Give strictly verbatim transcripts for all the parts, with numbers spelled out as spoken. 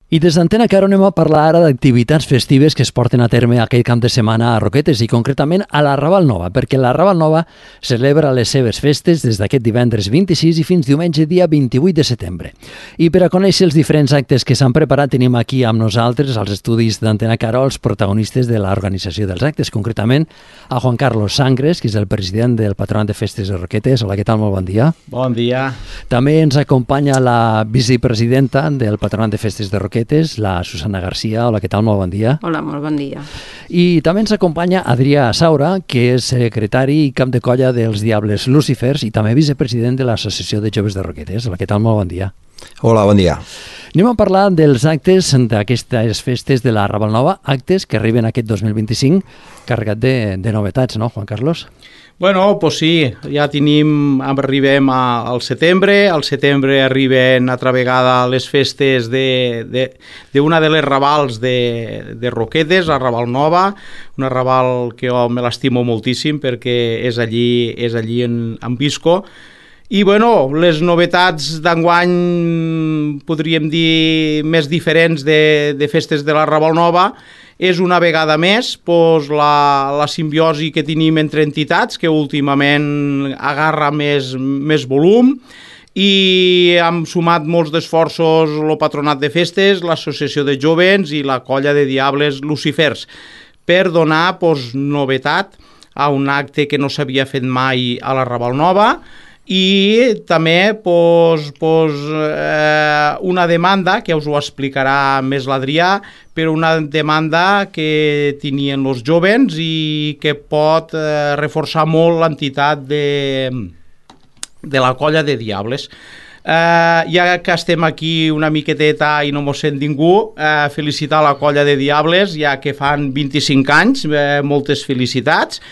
I des d'Antena Caro anem a parlar ara d'activitats festives que es porten a terme aquell camp de setmana a Roquetes i concretament a la Raval Nova, perquè la Raval Nova celebra les seves festes des d'aquest divendres vint-i-sis i fins diumenge dia vint-i-vuit de setembre. I per a conèixer els diferents actes que s'han preparat tenim aquí amb nosaltres als estudis d'Antena Caro els protagonistes de l'organització dels actes, concretament a Juan Carlos Sangres, que és el president del Patronat de Festes de Roquetes. Hola, què tal? Molt bon dia. Bon dia. També ens acompanya la vicepresidenta del Patronat de Festes de Roquetes, la Susana Garcia. Hola, què tal? Molt bon dia. Hola, molt bon dia. I també ens acompanya Adrià Saura, que és secretari i cap de colla dels Diables Lucifers i també vicepresident de l'Associació de Joves de Roquetes. Hola, què tal? Molt bon dia. Hola, bon dia. Anem a parlar dels actes d'aquestes festes de la Raval Nova, actes que arriben aquest dos mil vint-i-cinc carregat de, de novetats, no, Juan Carlos? Bueno, pues sí, ja tenim, arribem a, al setembre, al setembre arriben altra vegada les festes d'una de, de, de, de les Ravals de, de Roquetes, la Raval Nova, una Raval que jo me l'estimo moltíssim perquè és allí, és allí en, en Visco. I bueno, les novetats d'enguany podríem dir més diferents de, de festes de la Raval Nova és una vegada més pues, la, la simbiosi que tenim entre entitats, que últimament agarra més, més volum, i hem sumat molts d'esforços el Patronat de Festes, l'Associació de Jovens i la Colla de Diables Lucifers per donar pues, novetat a un acte que no s'havia fet mai a la Raval Nova, i també pues, pues, eh, una demanda, que us ho explicarà més l'Adrià, però una demanda que tenien els jovens i que pot eh, reforçar molt l'entitat de, de la Colla de Diables. Eh, ja que estem aquí una miqueteta i no mos sent ningú, eh, felicitar la Colla de Diables, ja que fan vint-i-cinc anys, eh, moltes felicitats,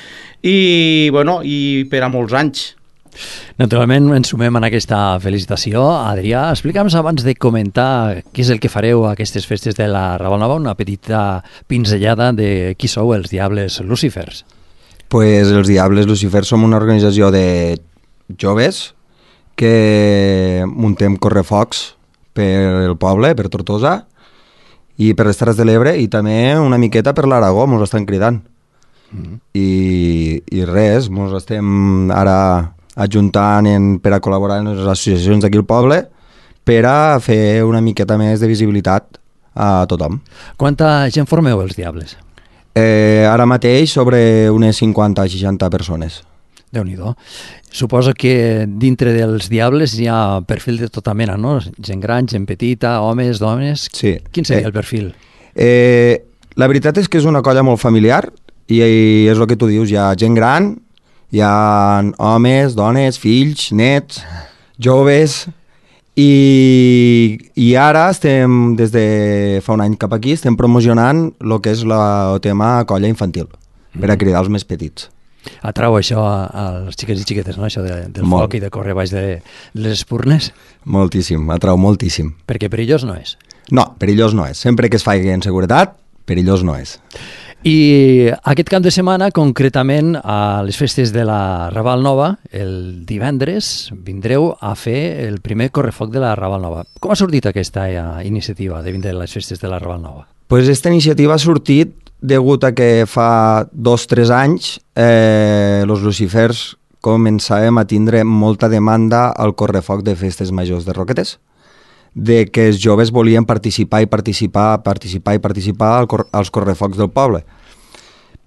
i, bueno, i per a molts anys. Naturalment ens sumem en aquesta felicitació. Adrià, explica'ns abans de comentar què és el que fareu a aquestes festes de la Raval Nova, una petita pinzellada de qui sou els Diables Lucifers. Pues els Diables Lucifers som una organització de joves que muntem correfocs per el poble, per Tortosa i per les Terres de l'Ebre i també una miqueta per l'Aragó, mos estan cridant. Mm. I, i res, mos estem ara ajuntant en, per a col·laborar en les associacions d'aquí al poble per a fer una miqueta més de visibilitat a tothom. Quanta gent formeu els Diables? Eh, ara mateix sobre unes cinquanta a seixanta persones. Déu-n'hi-do. Suposo que dintre dels Diables hi ha perfil de tota mena, no? Gent gran, gent petita, homes, dones... Sí. Quin seria eh, el perfil? Eh, la veritat és que és una colla molt familiar i, i és el que tu dius, hi ha gent gran, hi ha homes, dones, fills, nets, joves, i, i ara estem, des de fa un any cap aquí, estem promocionant el que és la, el tema colla infantil, per a cridar els més petits. Atrau això als xiquets i xiquetes, no? Això de, del Molt. foc i de córrer baix de les espurnes? Moltíssim, atrau moltíssim. Perquè perillós no és? No, perillós no és. Sempre que es faci en seguretat, perillós no és. I aquest cap de setmana, concretament a les festes de la Raval Nova, el divendres vindreu a fer el primer correfoc de la Raval Nova. Com ha sortit aquesta iniciativa de vindre a les festes de la Raval Nova? Pues esta iniciativa ha sortit degut a que fa dos o tres anys eh, els lucifers començàvem a tindre molta demanda al correfoc de festes majors de Roquetes, de que els joves volien participar i participar, participar i participar al cor als correfocs del poble.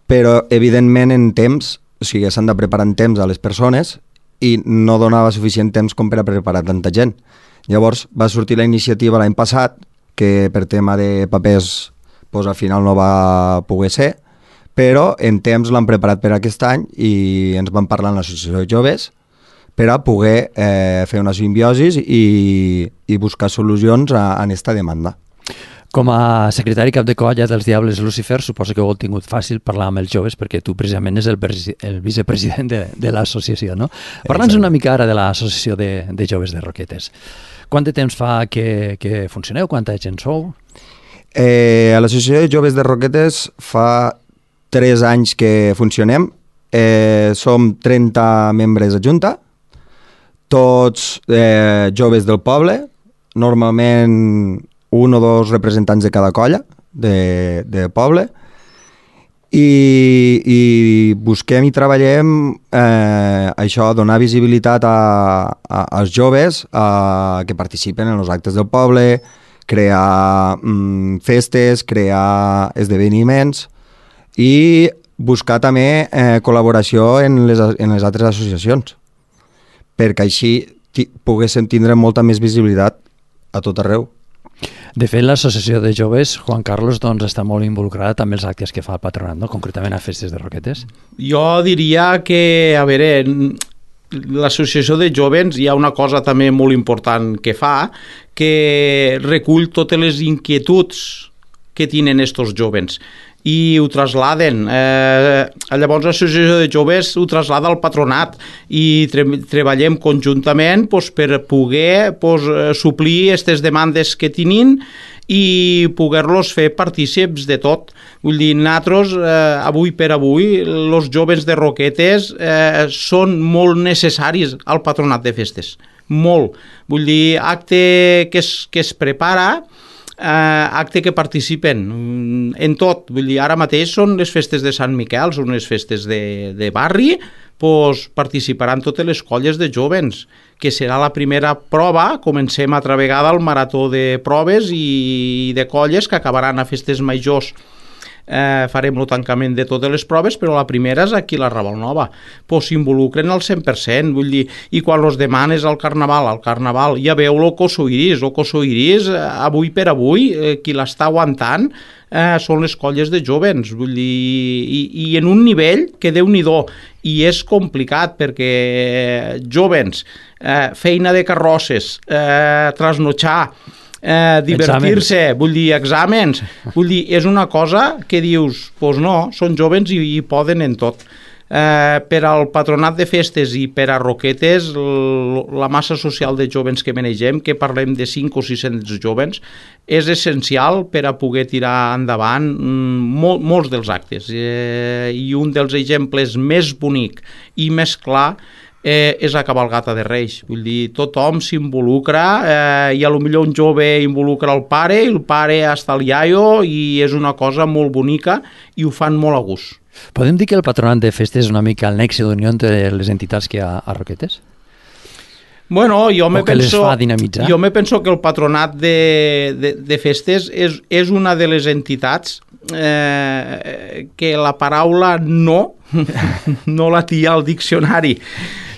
Però, evidentment, en temps, o sigui, s'han de preparar en temps a les persones i no donava suficient temps com per a preparar tanta gent. Llavors va sortir la iniciativa l'any passat, que per tema de papers pues, al final no va poder ser, però en temps l'han preparat per aquest any i ens van parlar en l'associació de joves per a poder eh, fer una simbiosis i, i buscar solucions a, a aquesta demanda. Com a secretari cap de colla dels Diables Lucifers, suposo que ho heu tingut fàcil parlar amb els joves perquè tu precisament és el, el vicepresident de, de l'associació, no? Parla'ns una mica ara de l'associació de, de joves de Roquetes. Quant de temps fa que, que funcioneu? Quanta gent sou? Eh, a l'associació de joves de Roquetes fa tres anys que funcionem. Eh, som trenta membres a junta, tots eh, joves del poble. Normalment un o dos representants de cada colla de, de poble, i, i busquem i treballem eh, això, donar visibilitat a, a, als joves a, que participen en els actes del poble, crear mm, festes, crear esdeveniments i buscar també eh, col·laboració en les, en les altres associacions, perquè així ti, poguéssim tindre molta més visibilitat a tot arreu. De fet, l'associació de joves, Juan Carlos, doncs, està molt involucrada també els actes que fa el patronat, no? Concretament a festes de Roquetes. Jo diria que, a veure, l'associació de joves hi ha una cosa també molt important que fa, que recull totes les inquietuds que tenen estos joves i ho trasladen. Eh, llavors l'associació de joves ho traslada al patronat i tre treballem conjuntament pues, per poder pues, suplir aquestes demandes que tenen i poder-los fer partícips de tot. Vull dir, nosaltres, eh, avui per avui, els joves de Roquetes eh, són molt necessaris al patronat de festes. Molt. Vull dir, acte que es, que es prepara, Uh, acte que participen en tot. Vull dir, ara mateix són les festes de Sant Miquel, són les festes de, de barri, pues, participaran totes les colles de jovens, que serà la primera prova. Comencem altra vegada el marató de proves i de colles que acabaran a festes majors. Eh, farem el tancament de totes les proves, però la primera és aquí a la Raval Nova. Pues s'involucren al cent per cent, vull dir, i quan els demanes al Carnaval, al Carnaval, ja veu el Coso Iris, el Coso Iris, eh, avui per avui, eh, qui l'està aguantant eh, són les colles de jovens, vull dir, i, i en un nivell que Déu-n'hi-do, i és complicat perquè jovens, eh, feina de carrosses, eh, trasnotxar, Eh, divertir-se, vull dir, exàmens, vull dir, és una cosa que dius, doncs pues no, són jovens i, i poden en tot. Eh, per al patronat de festes i per a Roquetes, la massa social de jovens que manegem, que parlem de cinc o sis-cents jovens, és essencial per a poder tirar endavant mol, molts dels actes. Eh, I un dels exemples més bonic i més clar Eh, és la cabalgata de Reis. Vull dir, tothom s'involucra eh, i a lo millor un jove involucra el pare i el pare hasta el iaio i és una cosa molt bonica i ho fan molt a gust. Podem dir que el patronat de festes és una mica el nexe d'unió entre les entitats que hi ha a Roquetes? Bueno, jo me penso, dinamitzar? jo me penso que el patronat de, de, de festes és, és una de les entitats eh, que la paraula no no la tia al diccionari.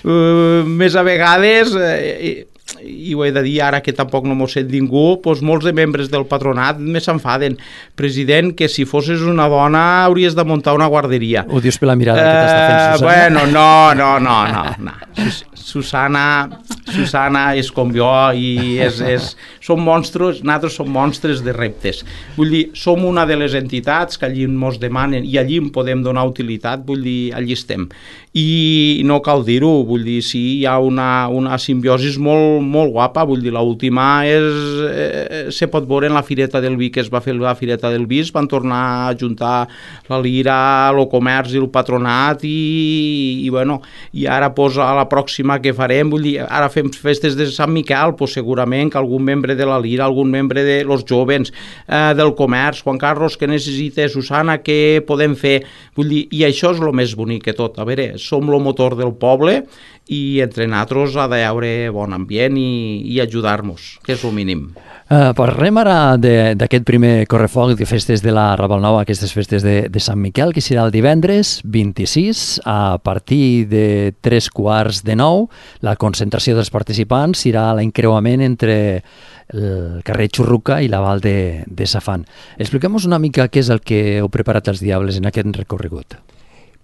Uh, més a vegades, eh, i ho he de dir ara que tampoc no m'ho sent ningú, doncs molts de membres del patronat me s'enfaden. President, que si fossis una dona hauries de muntar una guarderia. Ho dius per la mirada uh, que t'està fent Susana? Bueno, no, no, no, no, no. Susana, Susana és com jo i és, és, som monstres, nosaltres som monstres de reptes. Vull dir, som una de les entitats que allí ens demanen i allí en podem donar utilitat, vull dir, allí estem. I no cal dir-ho, vull dir, sí, hi ha una, una simbiosi molt, molt guapa, vull dir, l'última és, eh, se pot veure en la Fireta del Vi, que es va fer la Fireta del Vi, es van tornar a juntar la Lira, el comerç i el patronat i, i bueno, i ara pues, a la pròxima que farem, vull dir, ara fem festes de Sant Miquel, pues, segurament que algun membre de la Lira, algun membre de los jovens, eh, del comerç, Juan Carlos, que necessita, Susana, què podem fer? Vull dir, i això és el més bonic que tot, a veure, som el motor del poble i entre nosaltres ha d'haver bon ambient i, i ajudar-nos, que és el mínim. Uh, parlem ara d'aquest primer correfoc de festes de la Raval Nova, aquestes festes de, de Sant Miquel, que serà el divendres vint-i-sis a partir de tres quarts de nou. La concentració dels participants serà l'encreuament entre el carrer Xurruca i la Val de, de Safant. Expliquem-nos una mica què és el que heu preparat els Diables en aquest recorregut.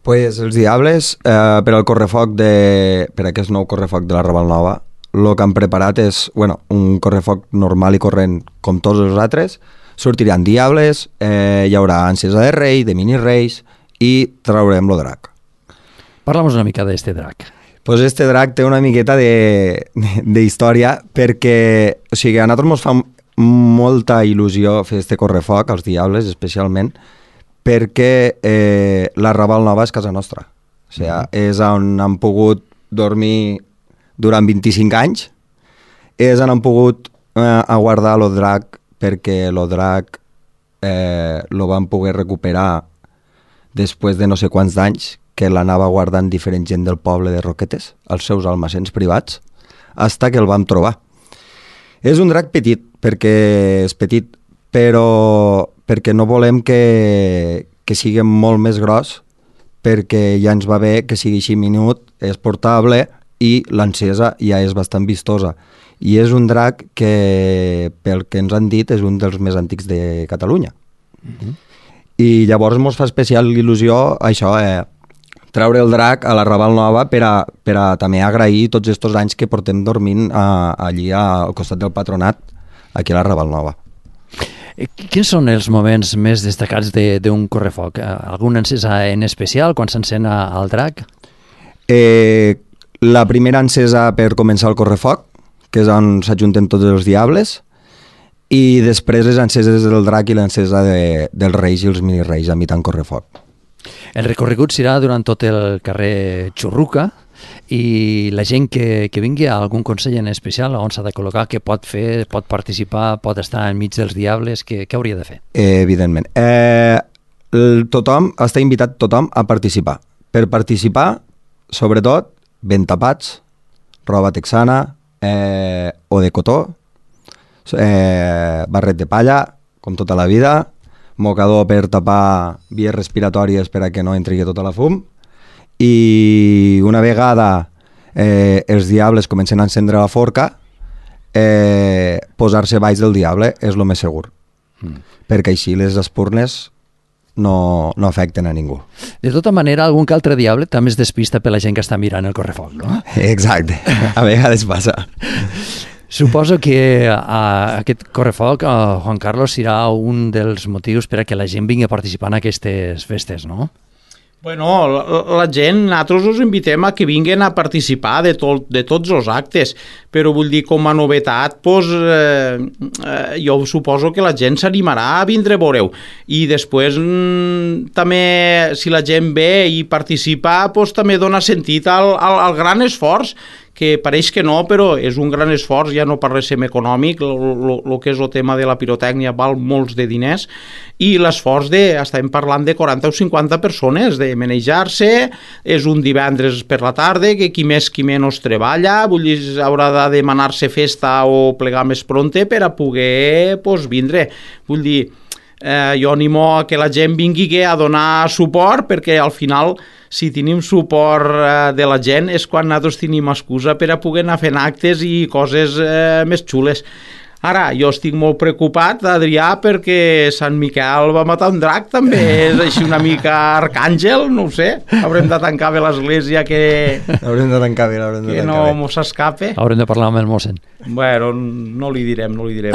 Pues els Diables, eh, per al correfoc de, per aquest nou correfoc de la Raval Nova, el que han preparat és bueno, un correfoc normal i corrent com tots els altres. Sortiran Diables, eh, hi haurà ànsies de rei, de mini-reis i traurem el drac. Parla'ns una mica d'este drac. Pues este drac té una miqueta d'història perquè o sigui, a nosaltres ens fa molta il·lusió fer este correfoc, als Diables especialment, perquè eh, la Raval Nova és casa nostra. O sigui, mm-hmm. és on han pogut dormir durant vint-i-cinc anys, és on han pogut eh, aguardar el drac perquè el drac eh, lo van poder recuperar després de no sé quants anys, que l'anava guardant diferent gent del poble de Roquetes, als seus almacens privats, hasta que el vam trobar. És un drac petit, perquè és petit, però perquè no volem que, que sigui molt més gros, perquè ja ens va bé que sigui així minut, és portable i l'encesa ja és bastant vistosa. I és un drac que, pel que ens han dit, és un dels més antics de Catalunya. Mm-hmm. I llavors ens fa especial il·lusió això, eh, treure el drac a la Raval Nova per a, per a també agrair tots aquests anys que portem dormint a, allí al costat del patronat, aquí a la Raval Nova. Quins són els moments més destacats d'un correfoc? Algun encesa en especial quan s'encén el drac? Eh, la primera encesa per començar el correfoc, que és on s'ajunten tots els diables, i després les enceses del drac i l'encesa de, dels reis i els minireis a mitjan correfoc. El recorregut serà durant tot el carrer Xurruca, i la gent que, que vingui a algun consell en especial on s'ha de col·locar, que pot fer, pot participar, pot estar enmig dels diables, què hauria de fer? Eh, evidentment. Eh, tothom, està invitat tothom a participar. Per participar, sobretot, ben tapats, roba texana, eh, o de cotó, eh, barret de palla, com tota la vida, mocador per tapar vies respiratòries per a que no entri tota la fum, i una vegada eh, els diables comencen a encendre la forca, eh, posar-se baix del diable és el més segur, mm. perquè així les espurnes no, no afecten a ningú. De tota manera, algun que altre diable també es despista per la gent que està mirant el correfoc, no? Exacte, a vegades passa. Suposo que uh, aquest correfoc, uh, Juan Carlos, serà un dels motius per a que la gent vingui a participar en aquestes festes, no? Bueno, la, la gent, nosaltres us invitem a que vinguin a participar de, tot, de tots els actes, però vull dir, com a novetat, pues, eh, eh, jo suposo que la gent s'animarà a vindre a veure-ho. I després, mm, també, si la gent ve i participa, pues, també dona sentit al, al, al gran esforç, que pareix que no, però és un gran esforç, ja no parlem econòmic, el que és el tema de la pirotècnia val molts de diners, i l'esforç de, estem parlant de quaranta o cinquanta persones, de manejar-se, és un divendres per la tarda, que qui més qui menys treballa, vull dir, haurà de demanar-se festa o plegar més pronte per a poder pues, vindre. Vull dir, eh, jo animo a que la gent vingui a donar suport, perquè al final, si tenim suport eh, de la gent, és quan nosaltres tenim excusa per a poder anar fent actes i coses eh, més xules. Ara, jo estic molt preocupat, Adrià, perquè Sant Miquel va matar un drac, també és així una mica arcàngel, no ho sé. Haurem de tancar bé l'església, que, haurem de tancar bé, haurem de que tancar no bé. mos escape. Haurem de parlar amb el mossèn. Bueno, no li direm, no li direm.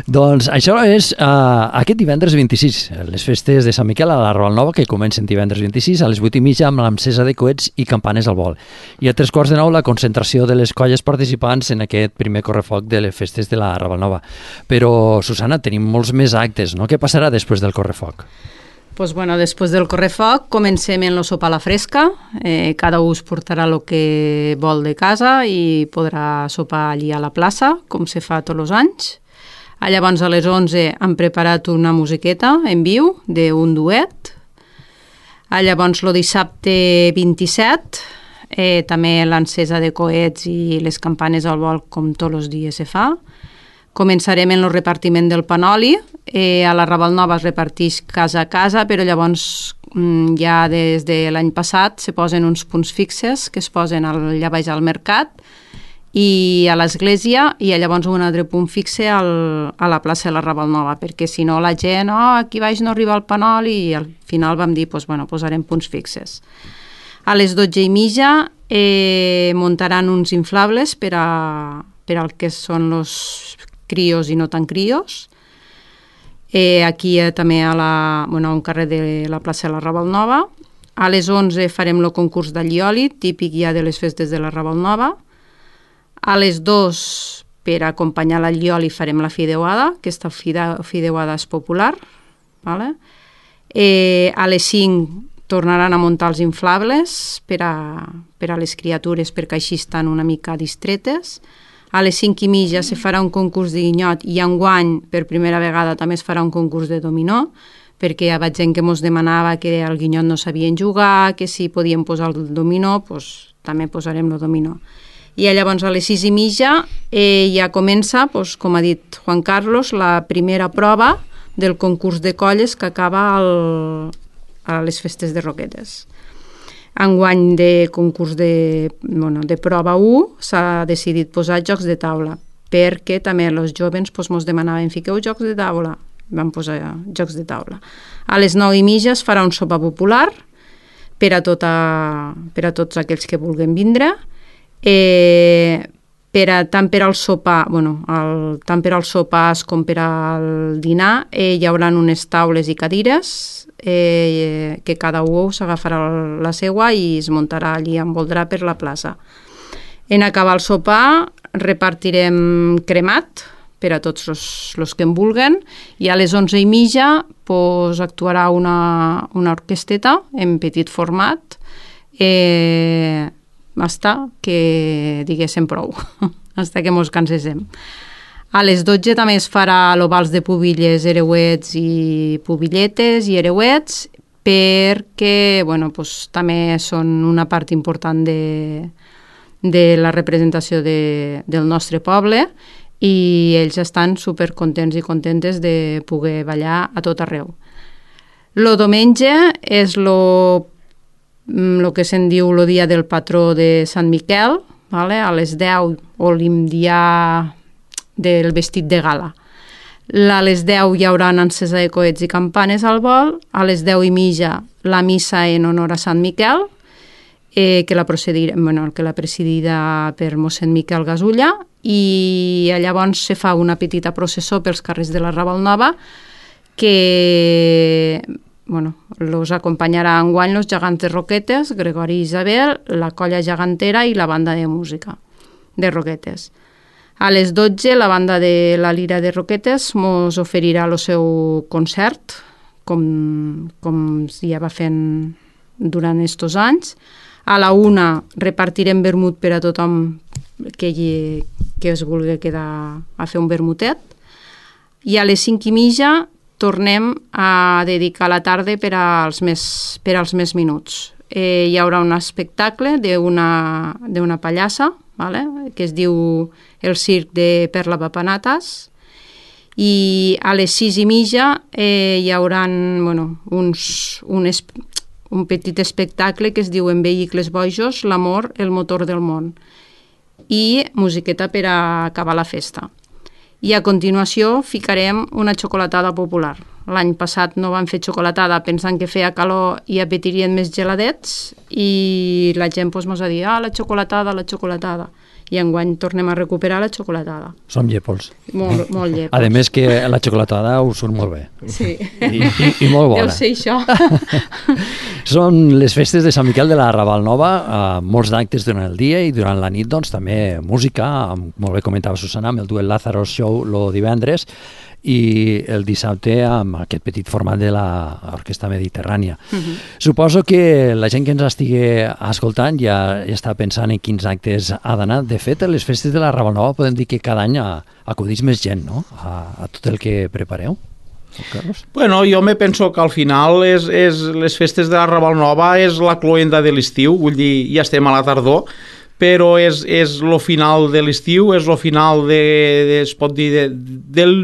Doncs això és uh, aquest divendres vint-i-sis, les festes de Sant Miquel a la Raval Nova, que comencen divendres vint-i-sis a les vuit i mitja amb l'encesa de coets i campanes al vol. I a tres quarts de nou la concentració de les colles participants en aquest primer correfoc de les festes de la Raval Nova. Però, Susana, tenim molts més actes, no? Què passarà després del correfoc? Pues bueno, després del correfoc comencem en el sopar a la fresca. Eh, cada un es portarà el que vol de casa i podrà sopar allí a la plaça, com se fa tots els anys. A llavors a les onze han preparat una musiqueta en viu d'un duet. A llavors el dissabte vint-i-set eh, també l'encesa de coets i les campanes al vol com tots els dies se fa. Començarem en el repartiment del panoli. Eh, a la Raval Nova es reparteix casa a casa, però llavors mm, ja des de l'any passat se posen uns punts fixes que es posen allà baix al mercat i a l'església, i llavors un altre punt fixe al, a la plaça de la Raval Nova, perquè si no la gent, oh, aquí baix no arriba el panoli, i al final vam dir, pues, bueno, posarem punts fixes. A les dotze i mitja eh, muntaran uns inflables per a, per al que són els crios i no tan crios. Eh, aquí eh, també a, la, bueno, a un carrer de la plaça de la Raval Nova. A les onze farem el concurs d'allioli, típic ja de les festes de la Raval Nova. A les dues, per acompanyar l'allioli, farem la fideuada. Aquesta fideuada és popular. Vale? Eh, a les cinc tornaran a muntar els inflables per a, per a les criatures, perquè així estan una mica distretes. A les cinc i mitja se farà un concurs de guinyot i enguany, per primera vegada, també es farà un concurs de dominó, perquè hi havia gent que ens demanava que al guinyot no sabien jugar, que si podien posar el dominó, doncs també posarem el dominó. I llavors a les sis i mitja eh, ja comença, doncs, com ha dit Juan Carlos, la primera prova del concurs de colles que acaba el, a les festes de Roquetes. Enguany de concurs de, bueno, de prova u s'ha decidit posar jocs de taula, perquè també els joves doncs, ens demanaven fiqueu jocs de taula, vam posar jocs de taula. A les nou i mitja es farà un sopar popular per a, tota, per a tots aquells que vulguin vindre. Eh, per a, tant per al sopar, bueno, el, tant per als sopars com per al dinar eh, hi haurà unes taules i cadires eh, que cada un s'agafarà la seua i es muntarà allí, envoldrà per la plaça. En acabar el sopar repartirem cremat per a tots els que en vulguen i a les onze i mitja pues, actuarà una, una orquesteta en petit format eh, hasta que diguéssim prou, hasta que mos canséssim. A les dotze també es farà l'ovals de pubilles, ereuets i pubilletes i ereuets perquè bueno, pues, també són una part important de, de la representació de, del nostre poble i ells estan supercontents i contentes de poder ballar a tot arreu. Lo diumenge és lo el que se'n diu el dia del patró de Sant Miquel, vale? A les deu o l'imdià del vestit de gala. A les deu hi haurà encesa de coets i campanes al vol, a les deu i mitja la missa en honor a Sant Miquel, eh, que, la bueno, que la presidida per mossèn Miquel Gasulla, i llavors se fa una petita processó pels carrers de la Raval Nova que bueno, los acompanyarà enguany los gegants de Roquetes, Gregori i Isabel, la colla gegantera i la banda de música de Roquetes. A les dotze la banda de la Lira de Roquetes mos oferirà el seu concert, com, com ja va fent durant estos anys. A la una repartirem vermut per a tothom que, hi, que es vulgui quedar a fer un vermutet. I a les cinc i mitja tornem a dedicar la tarda per als més, per als més minuts. Eh, hi haurà un espectacle d'una d'una pallassa, vale? Que es diu El circ de Perla Papanatas, i a les sis i mitja eh, hi haurà bueno, uns, un, es, un petit espectacle que es diu En vehicles bojos, l'amor, el motor del món, i musiqueta per a acabar la festa. I a continuació ficarem una xocolatada popular. L'any passat no vam fer xocolatada pensant que feia calor i apetirien més geladets i la gent pues, mos va dir, ah, la xocolatada, la xocolatada. I enguany tornem a recuperar la xocolatada. Som llepols. Molt, molt llepols. A més que la xocolatada us surt molt bé. Sí. I, i, i molt bona. Deu ser això. Són les festes de Sant Miquel de la Raval Nova, eh, molts d'actes durant el dia i durant la nit doncs, també música, amb, molt bé comentava Susana, amb el duet Lázaro Show el divendres, i el dissabte amb aquest petit format de l'Orquestra Mediterrània. Uh-huh. Suposo que la gent que ens estigui escoltant ja, ja està pensant en quins actes ha d'anar. De fet, a les festes de la Raval Nova podem dir que cada any acudeix més gent, no?, a, a tot el que prepareu. Carlos? Bueno, jo me penso que al final és, és les festes de la Raval Nova és la cloenda de l'estiu, vull dir, ja estem a la tardor, però és, és lo final de l'estiu, és lo final de, de es pot dir, de, del,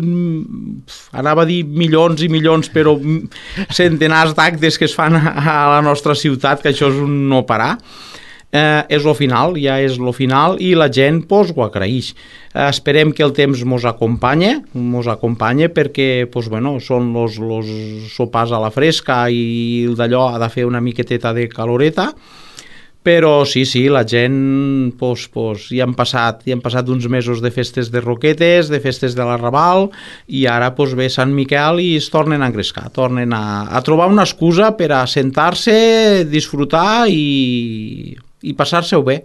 anava a dir milions i milions, però centenars d'actes que es fan a la nostra ciutat, que això és un no parar. Eh, és lo final, ja és lo final, i la gent pues, ho agraeix. Eh, esperem que el temps mos acompanye, mos acompanye perquè pues, bueno, són los, los sopars a la fresca i d'allò ha de fer una miqueteta de caloreta, però sí, sí, la gent pues, pues, ja han passat ja han passat uns mesos de festes de Roquetes, de festes de la Raval, i ara pues, ve Sant Miquel i es tornen a engrescar, tornen a, a trobar una excusa per a sentar-se, disfrutar i, i passar-se-ho bé.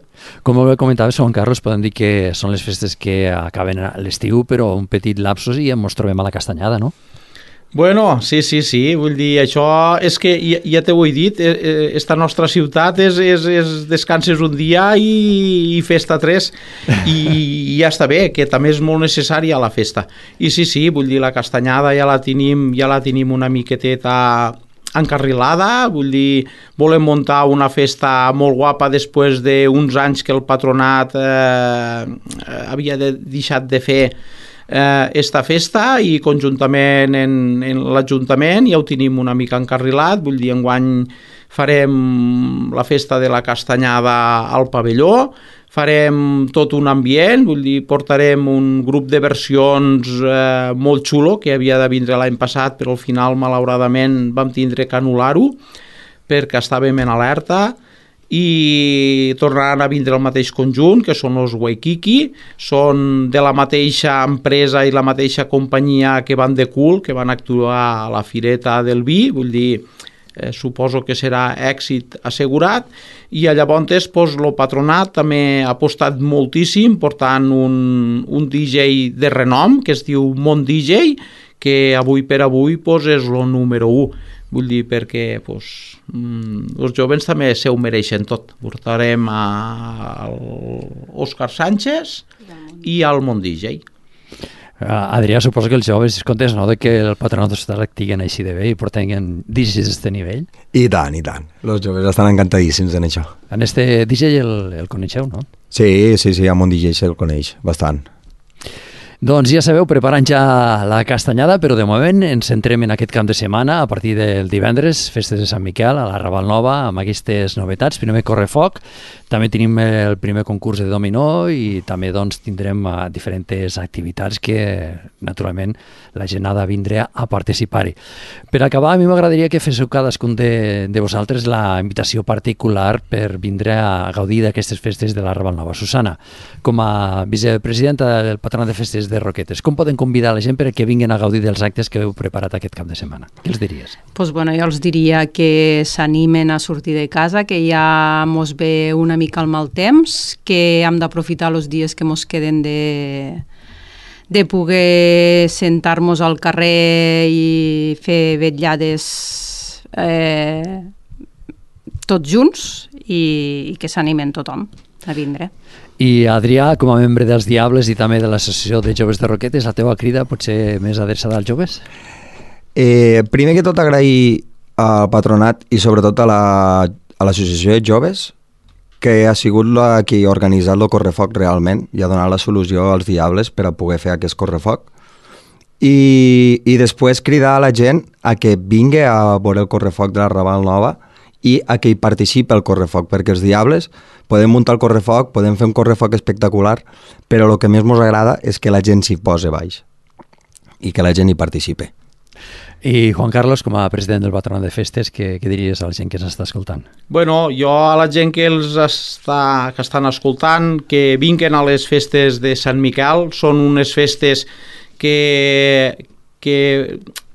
Com bé comentaves, Juan Carlos, podem dir que són les festes que acaben a l'estiu, però un petit lapsus i ens trobem a la Castanyada, no? Bueno, sí, sí, sí, vull dir, això és que, ja, ja t'ho he dit, eh, esta nostra ciutat és, és, és descanses un dia i, i festa tres, i, i ja està bé, que també és molt necessària la festa. I sí, sí, vull dir, la castanyada ja la tenim, ja la tenim una miqueteta encarrilada, vull dir, volem muntar una festa molt guapa després d'uns anys que el patronat eh, havia de, deixat de fer eh, esta festa, i conjuntament en, en l'Ajuntament ja ho tenim una mica encarrilat. Vull dir, enguany farem la festa de la castanyada al pavelló, farem tot un ambient, vull dir, portarem un grup de versions eh, molt xulo que havia de vindre l'any passat, però al final malauradament vam tindre que anul·lar-ho perquè estàvem en alerta, i tornaran a vindre el mateix conjunt, que són els Waikiki, són de la mateixa empresa i la mateixa companyia que van de Cool, que van actuar a la Fireta del Vi, vull dir, eh, suposo que serà èxit assegurat, i llavors pues, el patronat també ha apostat moltíssim portant un, un D J de renom que es diu Mont D J, que avui per avui pues, és el número u. Vull dir, perquè pues, els joves també se ho mereixen tot. Portarem a Òscar Sánchez i al Mont D J. Adrià, suposo que els joves es comptes, no?, de que el patronat hostal estiguen així de bé i porten D Js d'aquest nivell. I tant, i tant. Els joves estan encantadíssims en això. En este D J el, el coneixeu, no? Sí, sí, sí, a Mont D J se'l coneix bastant. Doncs ja sabeu, preparant ja la castanyada, però de moment ens centrem en aquest camp de setmana a partir del divendres, festes de Sant Miquel, a la Raval Nova, amb aquestes novetats. Primer correfoc, també tenim el primer concurs de dominó i també doncs, tindrem uh, diferents activitats que, naturalment, la gent ha de vindre a participar-hi. Per acabar, a mi m'agradaria que féssiu cadascun de, de vosaltres la invitació particular per vindre a gaudir d'aquestes festes de la Raval Nova. Susana, com a vicepresidenta del Patronat de Festes de Roquetes, com poden convidar la gent perquè vinguin a gaudir dels actes que heu preparat aquest cap de setmana? Què els diries? Pues bueno, jo els diria que s'animen a sortir de casa, que ja mos ve una mica el mal temps, que hem d'aprofitar els dies que mos queden de, de poder sentar-nos al carrer i fer vetllades eh, tots junts, i, i que s'animen tothom a vindre. I Adrià, com a membre dels Diables i també de l'Associació de Joves de Roquetes, la teva crida pot ser més adreçada als joves? Eh, primer que tot agrair al patronat i sobretot a l'Associació la, de Joves, que ha sigut la que ha organitzat el correfoc realment i ha donat la solució als Diables per a poder fer aquest correfoc. I, i després cridar a la gent a que vingui a veure el correfoc de la Raval Nova i a que hi participi el correfoc, perquè els Diables podem muntar el correfoc, podem fer un correfoc espectacular, però el que més ens agrada és que la gent s'hi posi baix i que la gent hi participi. I Juan Carlos, com a president del Patronat de Festes, què, què diries a la gent que s'està escoltant? Bueno, jo a la gent que els està, que estan escoltant, que vinguen a les festes de Sant Miquel, són unes festes que, que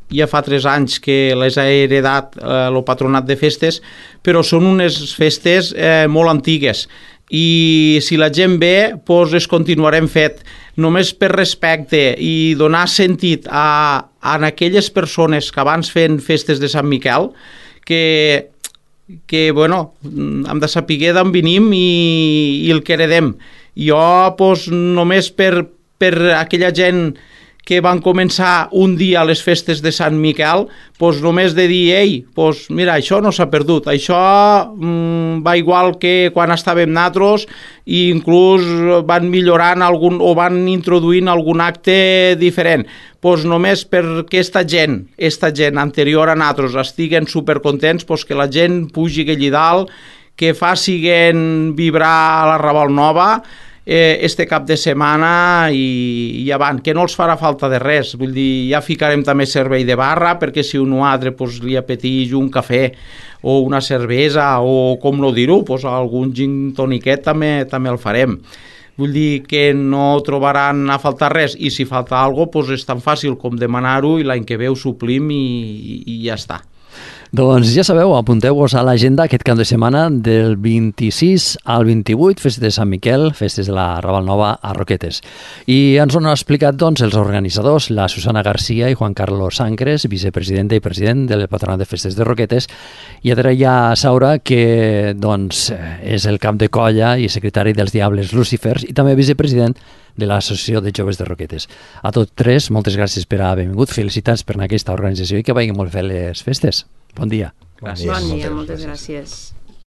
ja fa tres anys que les ha heredat eh, el Patronat de Festes, però són unes festes eh, molt antigues, i si la gent ve, doncs es continuarem fet. Només per respecte i donar sentit a, a aquelles persones que abans feien festes de Sant Miquel, que, que bueno, hem de saber d'on venim i, i el que heredem. Jo, doncs, només per, per aquella gent que van començar un dia a les festes de Sant Miquel, doncs només de dir, ei, doncs mira, això no s'ha perdut, això mm, va igual que quan estàvem nosaltres, i inclús van millorant algun, o van introduint algun acte diferent. Doncs només per aquesta gent, aquesta gent anterior a nosaltres estiguen supercontents, doncs que la gent pugi allà dalt, que facin vibrar a la Raval Nova, Eh, este cap de setmana i, i avant, que no els farà falta de res. Vull dir, ja ficarem també servei de barra, perquè si un altre pues, li apeteix un cafè o una cervesa o, com no dir-ho, pues, algun gin toniquet també, també el farem. Vull dir que no trobaran a faltar res, i si falta alguna cosa pues, és tan fàcil com demanar-ho i l'any que ve ho suplim i, i, i ja està. Doncs ja sabeu, apunteu-vos a l'agenda aquest cap de setmana del vint-i-sis al vint-i-vuit, festes de Sant Miquel, festes de la Raval Nova a Roquetes. I ens ho han explicat doncs, els organitzadors, la Susana Garcia i Juan Carlos Sancres, vicepresidenta i president del Patronat de Festes de Roquetes, i Adrià Saura, que doncs, és el cap de colla i secretari dels Diables Lucifers i també vicepresident de l'Associació de Joves de Roquetes. A tots tres, moltes gràcies per haver vingut, felicitats per aquesta organització i que vagin molt bé les festes. Bon dia. Gràcies. Bon dia, moltes gràcies.